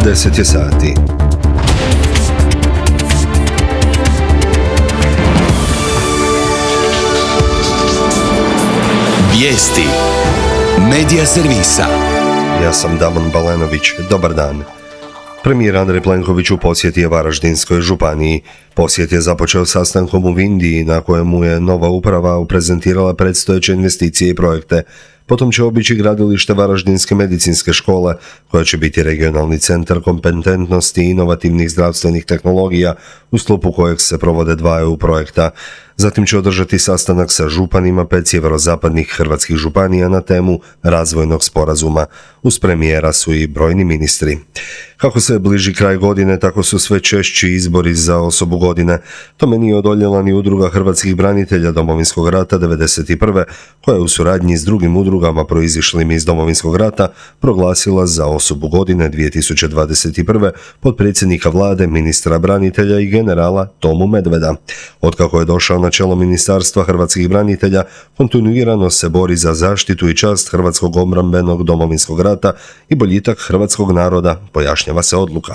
10 je sati. Vijesti Medija servisa. Ja sam Damon Balenović. Dobar dan. Premijer Andrej Plenković u posjeti je Varaždinskoj županiji. Posjet je započeo sastankom u Vindiji na kojemu je nova uprava prezentirala predstojeće investicije i projekte. Potom će obići gradilište Varaždinske medicinske škole, koja će biti regionalni centar kompetentnosti i inovativnih zdravstvenih tehnologija, u sklopu kojeg se provode dva EU projekta. Zatim će održati sastanak sa županima 5 sjeverozapadnih hrvatskih županija na temu razvojnog sporazuma. Uz premijera su i brojni ministri. Kako se bliži kraj godine, tako su sve češći izbori za osobu godine. Tome nije odoljela ni Udruga hrvatskih branitelja Domovinskog rata 1991. koja je u suradnji s drugim udrugama proizišlim iz Domovinskog rata proglasila za osobu godine 2021. potpredsjednika vlade, ministra branitelja i generala Tomu Medveda. Otkako je došao na čelo Ministarstva hrvatskih branitelja, kontinuirano se bori za zaštitu i čast hrvatskog obrambenog Domovinskog rata i boljitak hrvatskog naroda, pojašnjava se odluka.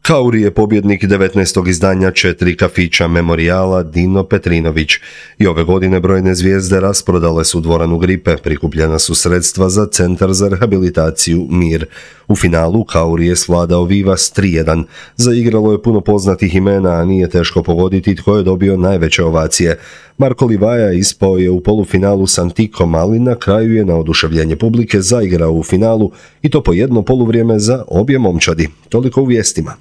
Kauri je pobjednik 19. izdanja 4 kafića memorijala Dino Petrinović. I ove godine brojne zvijezde rasprodale su dvoranu Gripe, prikupljena su sredstva za Centar za rehabilitaciju Mir. U finalu Kauri je svladao Vivas 3:1. Zaigralo je puno poznatih imena, a nije teško pogoditi tko je dobio najveće ovacije. Marko Livaja ispao je u polufinalu s Antikom, ali na kraju je na oduševljenje publike zaigrao u finalu i to po jedno poluvrijeme za obje momčadi. Toliko u vijestima.